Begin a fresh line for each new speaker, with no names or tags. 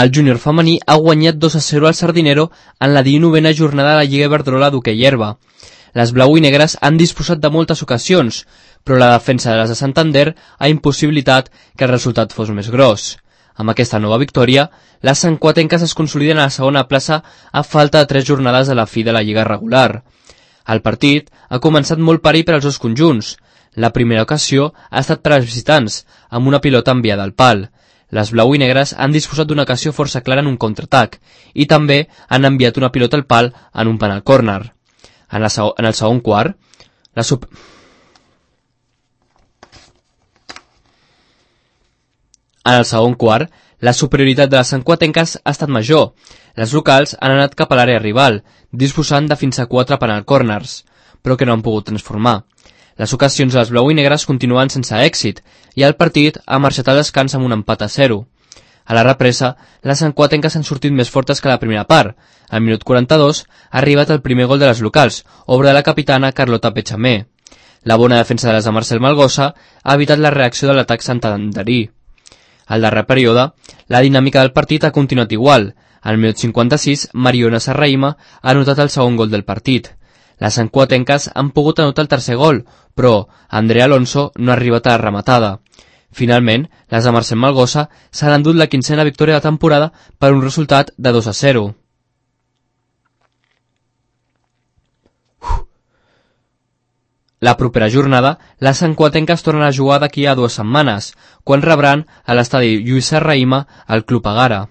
El júnior femení ha guanyat 2-0 al Sardinero en la 19a jornada de la Lliga Iberdrola d'hoquei herba. Les blau i negres han disposat de moltes ocasions, però la defensa de les de Santander ha impossibilitat que el resultat fos més gros. Amb aquesta nova victòria, les santcuatenques es consoliden a la segona plaça a falta de 3 jornades de la fi de la Lliga regular. El partit ha començat molt perill per als dos conjunts. La primera ocasió ha estat per als visitants, amb una pilota enviada al pal. Les blau i negres han disposat d'una ocasió força clara en un contraatac i també han enviat una pilota al pal en un penal córner. En el segon quart, la superioritat de les santcuatenques ha estat major. Les locals han anat cap a l'àrea rival, disposant de fins a 4 penal corners, però que no han pogut transformar. Les ocasions de les blau i negres continuen sense èxit i el partit ha marxat al descans amb un empat a 0. A la represa, les santcuatenques han sortit més fortes que la primera part. Al minut 42 ha arribat el primer gol de les locals, obra de la capitana Carlota Pechamé. La bona defensa de les de Marcel Malgosa ha evitat la reacció de l'atac santanderí. Al darrer període, la dinàmica del partit ha continuat igual. Al minut 56, Mariona Serraima ha anotat el segon gol del partit. Les santcuatenques han pogut anotar el tercer gol, però Andrea Alonso no ha arribat a la rematada. Finalment, les de Marcel Malgosa s'han endut la 15a victòria de la temporada per un resultat de 2-0. La propera jornada, les santcuatenques tornen a jugar d'aquí a 2 setmanes, quan rebran a l'estadi Lluís Serraima el Club Agara.